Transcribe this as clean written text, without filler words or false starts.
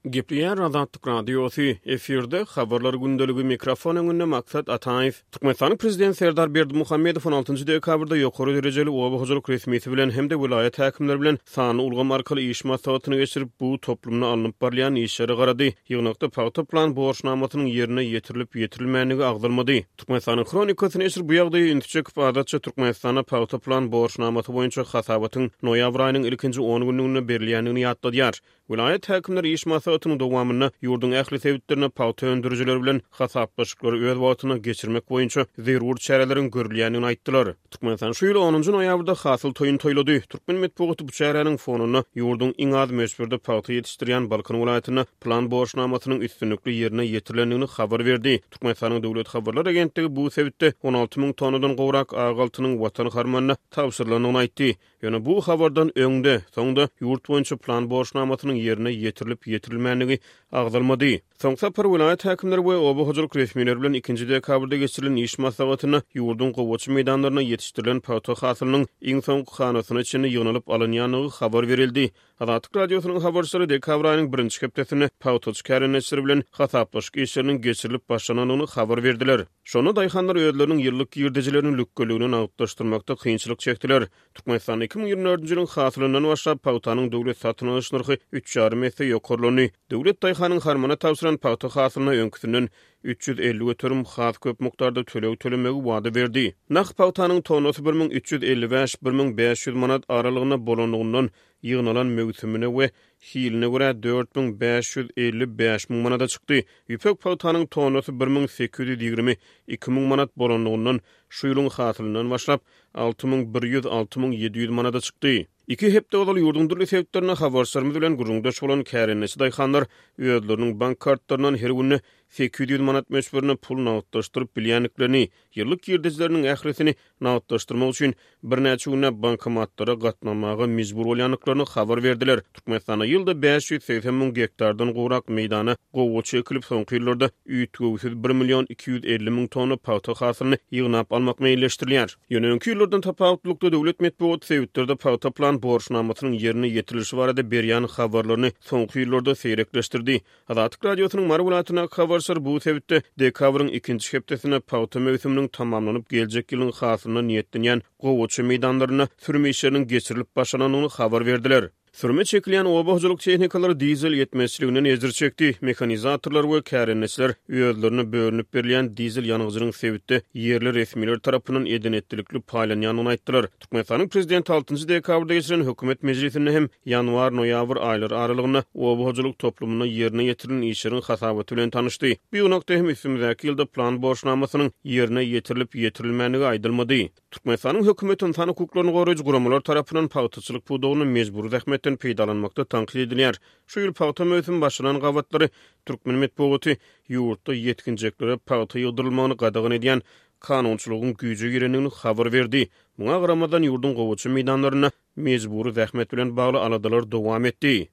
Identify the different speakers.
Speaker 1: Gepleýär Azatlyk Radiosy, efirde Habarlar gündeligi, mikrofon öňünde Maksat Ataýew. Türkmenistanyň Prezidenti Serdar Berdimuhamedow on altynjy dekabrda ýokary derejeli oba hojalyk resmisi bilen hem-de welaýat häkimleri bilen sanly ulgam arkaly iş maslahatyny geçirip, bu toplumda alnyp barylýan işlere garady. Ýygnakda pagta plan borçnamasynyň ýerine ýetirilip-ýetirilmändigi agzalmady. Türkmenistanyň Hronikasy neşiri bu ýagdaýa ünsi çekip, adatça Türkmenistanda pagta plan borçnamasy boýunça hasabatyň noýabr aýynyň ilkinji on günlüginde berilýändigini ýatladýar. Welaýat häkimleri iş maslahatynyň dowamynda ýurduň ähli sebitlerinde pagta öndürijiler bilen hasaplaşyklary öz wagtynda geçirmek boýunça zerur çäreleriň görülýändigini aýtdylar. Türkmenistan şu ýyl onunjy noýabrda Hasyl toýuny toýlady. Türkmen metbugaty bu çäräniň fonunda ýurduň iň az möçberde pagta ýetişdirýän Balkan welaýatynda plan borçnamasynyň üstünlikli ýerine ýetirilendigini habar berdi. Türkmenistanyň Döwlet habarlar agentligi bu sebitde 16 müň tonnadan gowrak ak altynyň Watan harmanyna tabşyrylandygyny aýtdy. Ýöne bu habardan öň-de, soň-da ýurt boýunça plan borçnamasynyň ýerine ýetirilip-ýetirilmändigi agzalmady. Soňky sapar welaýat häkimleri we oba hojalyk resmileri bilen ikinji dekabrda geçirilen iş maslahatynda ýurduň gowaça meýdanlarynda ýetişdirilen pagta hasylynyň iň soňky hanasyna çenli ýygnalyp alynýandygy habar berildi. Azatlyk Radiosynyň habarçylary dekabr aýynyň birinji hepdesinde pagtaçy kärendeçiler bilen hasaplaşyk işleriniň geçirilip başlanandygyny habar berdiler. Şonda daýhanlar özleriniň ýyllyk girdejilerini lükgeligine nagtlaşdyrmakda kynçylyk çekdiler. Türkmenistanda 2024-nji ýylyň hasylyndan başlap pagtanyň döwlet satyn alyş nyrhy üç ýarym esse ýokarlandy. Döwlet daýhanyň harmana tabşyran pagta hasylyna öňküsinden 350% has köp mukdarda töleg tölemegi wada berdi. Nah pagtanyň tonnasy 1355, 1500 manat aralygynda bolanlygyndan ýygnalan möwsümine we hiline görä 4555 müň manada çykdy. Ýüpek pagtanyň tonnasy 1820, 2000 manat bolanlygyndan şu ýylyň hasylyndan başlap 6100, 6700 manada çykdy. Iki hepde ozal ýurduň dürli sebitlerinde habarçylarymyz bilen gürrüňdeş bolan kärendeçi daýhanlar özleriniň bank kartlaryndan her günde 800 manat möçberinde pul nagtlaşdyryp bilýändiklerini, ýyllyk girdejileriniň ählisini nagtlaşdyrmak üçin birnäçe günläp bankomatlara gatnamaga mejbur bolýandyklaryny habar berdiler. Türkmenistanda ýylda 580 müň gektardan gowrak meýdana gowaça ekilip, soňky ýyllarda üýtgewsiz bir million 250 müň tonna pagta hasylyny ýygnap almak meýilleşdirilýär. Ýöne öňki ýyllardan tapawutlylykda döwlet metbugaty sebitlerde pagta plan borçnamasynyň ýerine ýetirilişi barada berýän habarlaryny soňky ýyllarda seýrekleşdirdi. Azatlyk Radiosynyň Mary welaýatyndaky habarçylary bu sebitde dekabryň ikinji hepdesinde pagta möwsüminiň tamamlanyp, geljek ýylyň hasylyna niýetlenýän gowaça meýdanlarynda sürüm işleriniň geçirilip başlanandygyny habar berdiler. Sürüme çekilýän oba hojalyk tehnikalary dizel ýetmezçiliginden ejir çekdi. Mehanizatorlar we kärendeçiler özlerine bölünip berilýän dizel ýangyjynyň sebitde ýerli resmiler tarapyndan eden-etdilikli paýlanýandygyny aýtdylar. Türkmenistanyň Prezidenti altynjy dekabrda geçiren hökümet mejlisinde hem ýanwar-noýabr aýlary aralygynda oba hojalyk toplumynda ýerine ýetirilen işleriň hasabaty bilen tanyşdy. Bu ýygnakda hem üstümizdäki ýylda plan borçnamasynyň ýerine ýetirilip-ýetirilmändigi aýdylmady. Türkmenistanyň hökümeti ynsan hukuklaryny goraýjy guramalar tarapyndan pagtaçylyk pudagynda mejbury zähmetden peýdalanmakda tankyt edilýär. Şu ýyl pagta möwsümi başlanan gabatlary türkmen metbugaty ýurtda ýetginjeklere pagta ýygdyrylmagyny gadagan edýän kanunçylygyň güýje girendigini habar berdi. Muňa garamazdan, ýurduň gowaça meýdanlarynda mejbury zähmet bilen bagly aladalar dowam etdi.